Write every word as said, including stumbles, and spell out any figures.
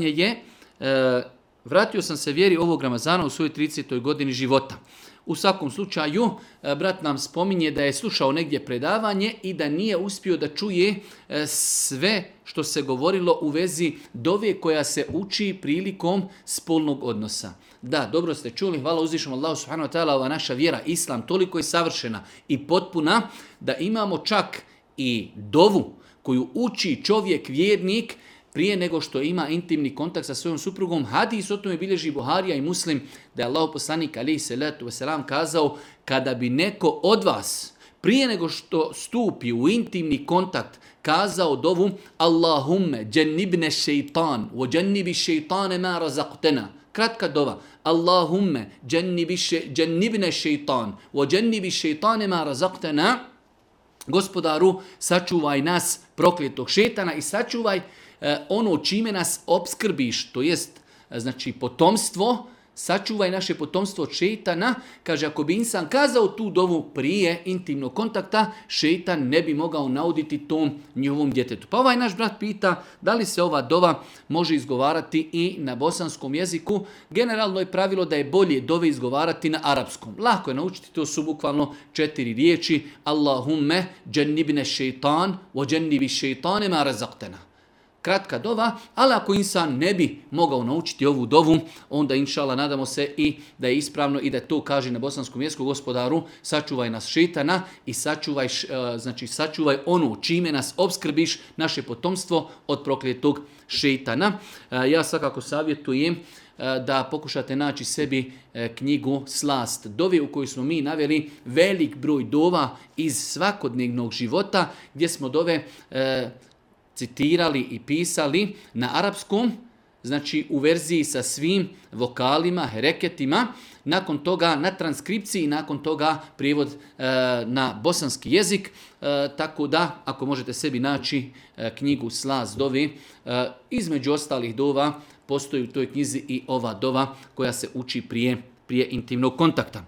pitanje je, e, vratio sam se vjeri ovog Ramazana u svojoj tridesetoj godini života. U svakom slučaju, brat nam spominje da je slušao negdje predavanje i da nije uspio da čuje sve što se govorilo u vezi dove koja se uči prilikom spolnog odnosa. Da, dobro ste čuli, hvala uzvišenom Allahu subhanahu wa ta'ala, ova naša vjera, islam, toliko je savršena i potpuna da imamo čak i dovu koju uči čovjek vjernik prije nego što ima intimni kontakt sa svojom suprugom. Hadis o tome bilježi Buharija i Muslim, da je Allahov poslanik alejhi salatu vesselam kazao, kada bi neko od vas prije nego što stupi u intimni kontakt kazao dovu Allahumme džennibne šeitan wa džennibi šeitane ma razaqtena. Kratka dova. Allahumme džennibne šeitan wa džennibi šeitane ma razaqtena. Gospodaru, sačuvaj nas prokletog šetana i sačuvaj ono čime nas opskrbiš, to jest znači potomstvo, sačuvaj naše potomstvo od šejtana. Kaže, ako bi insan kazao tu dovu prije intimnog kontakta, šejtan ne bi mogao nauditi tom njihovom djetetu. Pa ovaj naš brat pita da li se ova dova može izgovarati i na bosanskom jeziku. Generalno je pravilo da je bolje dove izgovarati na arapskom. Lako je naučiti, to su bukvalno četiri riječi. Allahumme džennibne šeitan wa džennibi šeitane ma razaqtena. Kratka dova, ali ako insan ne bi mogao naučiti ovu dovu, onda inšala nadamo se i da je ispravno i da to kaže na bosanskom jeziku, gospodaru, sačuvaj nas šetana i sačuvaj, znači sačuvaj ono čime nas opskrbiš, naše potomstvo od prokletog šetana. Ja svakako savjetujem da pokušate naći sebi knjigu Slast dove u kojoj smo mi naveli velik broj dova iz svakodnevnog života gdje smo dove citirali i pisali na arapskom, znači u verziji sa svim vokalima, hereketima, nakon toga na transkripciji, nakon toga prijevod e, na bosanski jezik, e, tako da ako možete sebi naći e, knjigu Slast dove, e, između ostalih dova postoji u toj knjizi i ova dova koja se uči prije, prije intimnog kontakta.